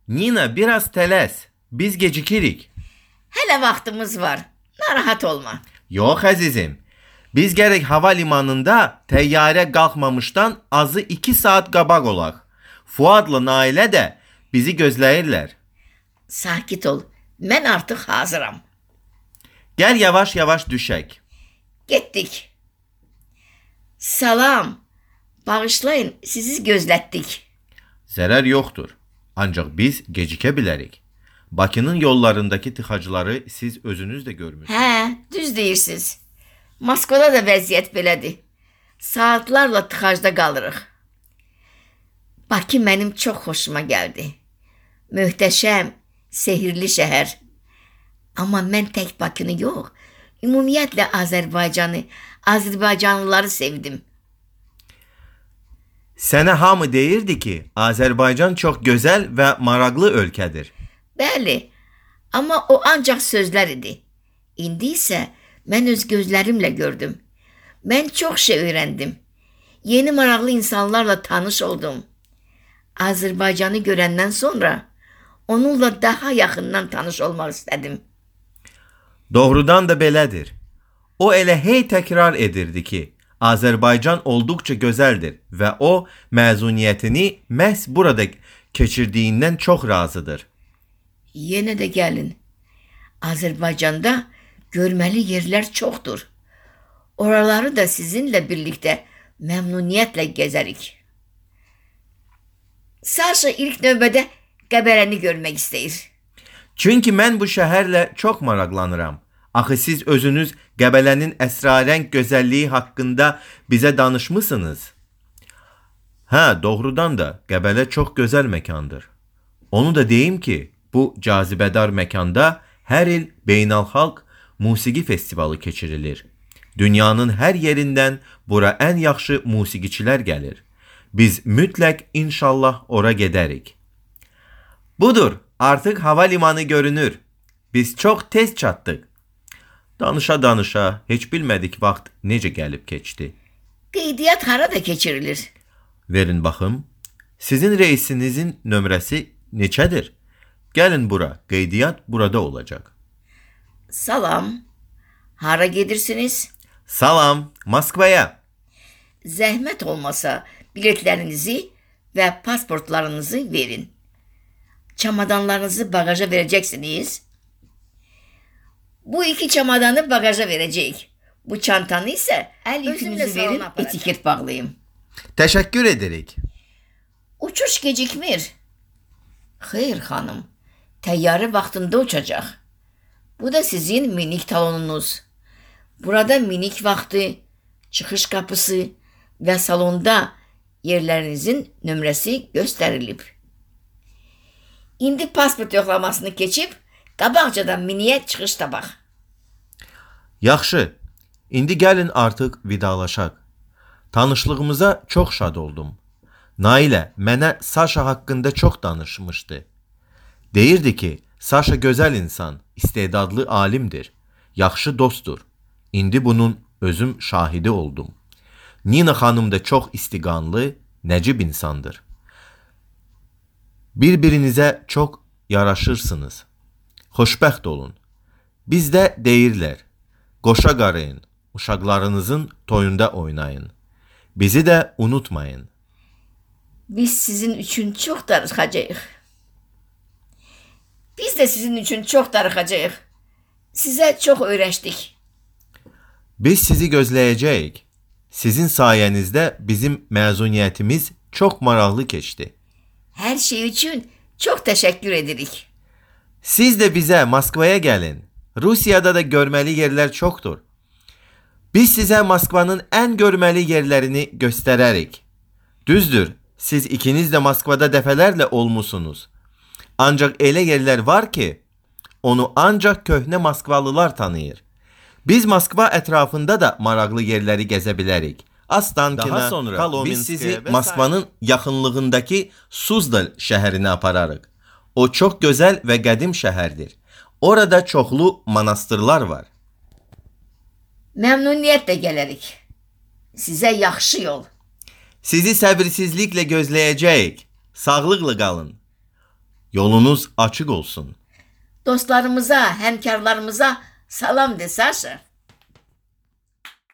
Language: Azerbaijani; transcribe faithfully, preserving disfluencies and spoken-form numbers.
Nina biraz tələs. Biz gecikirik. Hələ vaxtımız var. Narahat olma. Yox əzizim. Biz gərək hava limanında təyyarə qalxmamışdan azı iki saat qabaq olaq. Fuadla Nailə də bizi gözləyirlər. Sakit ol. Mən artıq hazıram. Gəl yavaş-yavaş düşək. Getdik. Salam. Bağışlayın, sizi gözlətdik. Zərər yoxdur. Ancaq biz gecikə bilərik. Bakının yollarındakı tıxacları siz özünüz də görmürsünüz. Hə, düz deyirsiniz. Moskvada da vəziyyət belədir. Saatlarla tıxacda qalırıq. Bakı mənim çox xoşuma gəldi. Möhtəşəm, sehirli şəhər. Amma mən tək Bakını yox, ümumiyyətlə Azərbaycanı, Azərbaycanlıları sevdim. Sənə hamı deyirdi ki, Azərbaycan çox gözəl və maraqlı ölkədir. Bəli, amma o ancaq sözlər idi. İndi isə mən öz gözlərimlə gördüm. Mən çox şey öyrəndim. Yeni maraqlı insanlarla tanış oldum. Azərbaycanı görəndən sonra onunla daha yaxından tanış olmaq istədim. Doğrudan da belədir. O elə hey təkrar edirdi ki, Azərbaycan olduqca gözəldir və o məzuniyyətini məhz burada keçirdiyindən çox razıdır. Yenə də gəlin. Azərbaycanda görməli yerlər çoxdur. Oraları da sizinlə birlikdə məmnuniyyətlə gəzərik. Saşa ilk növbədə Qəbərəni görmək istəyir. Çünki mən bu şəhərlə çox maraqlanıram. Axı siz özünüz Qəbələnin əsrarəng gözəlliyi haqqında bizə danışmısınız. Hə, doğrudan da Qəbələ çox gözəl məkandır. Onu da deyim ki, bu cazibədar məkanda hər il beynəlxalq musiqi festivalı keçirilir. Dünyanın hər yerindən bura ən yaxşı musiqiçilər gəlir. Biz mütləq inşallah ora gedərik. Budur, artıq hava limanı görünür. Biz çox tez çatdıq. Danışa-danışa heç bilmədik vaxt necə gəlib keçdi. Qeydiyyat harada keçirilir? Verin baxım. Sizin reisinizin nömrəsi neçədir? Gəlin bura, qeydiyyat burada olacaq. Salam. Hara gedirsiniz? Salam, Moskvaya. Zəhmət olmasa biletlərinizi və pasportlarınızı verin. Çamadanlarınızı bagaja verəcəksiniz. Bu iki çamadanı bagaja verəcəyik. Bu çantanı isə əl yükünüzü verin, etiket bağlayım. Təşəkkür edirik. Uçuş gecikmir. Xeyr xanım, təyyarə vaxtında uçacaq. Bu da sizin minik talonunuz. Burada minik vaxtı, çıxış qapısı və salonda yerlərinizin nömrəsi göstərilib. İndi pasport yoxlamasını keçib, qabaqcadan miniyə çıxış tabaq. Yaxşı, indi gəlin artıq vidalaşaq. Tanışlığımıza çox şad oldum. Nailə mənə Saşa haqqında çox danışmışdı. Deyirdi ki, Saşa gözəl insan, istedadlı alimdir, yaxşı dostdur. İndi bunun özüm şahidi oldum. Nina xanım da çox istiqanlı, nəcib insandır. Bir-birinizə çox yaraşırsınız. Xoşbəxt olun. Bizdə deyirlər, qoşa qarayın, uşaqlarınızın toyunda oynayın. Bizi də unutmayın. Biz sizin üçün çox darıxacağıq. Biz də sizin üçün çox darıxacağıq. Sizə çox öyrəşdik. Biz sizi gözləyəcəyik. Sizin sayənizdə bizim məzuniyyətimiz çox maraqlı keçdi. Hər şey üçün çox təşəkkür edirik. Siz də bizə Moskvaya gəlin. Rusiyada da görməli yerlər çoxdur. Biz sizə Moskvanın ən görməli yerlərini göstərərik. Düzdür, siz ikiniz də Moskvada dəfələrlə olmusunuz. Ancaq elə yerlər var ki, onu ancaq köhnə Moskvalılar tanıyır. Biz Moskva ətrafında da maraqlı yerləri gəzə bilərik. Ostankina, Daha sonra Kolomenskaya biz sizi və Moskvanın yaxınlığındakı Suzdal şəhərinə apararıq. O çox gözəl və qədim şəhərdir. Orada çoxlu manastırlar var. Məmnuniyyətlə gələrik. Sizə yaxşı yol. Sizi səbirsizliklə gözləyəcəyik. Sağlıqla qalın. Yolunuz açık olsun. Dostlarımıza, həmkarlarımıza salam de, Saşa.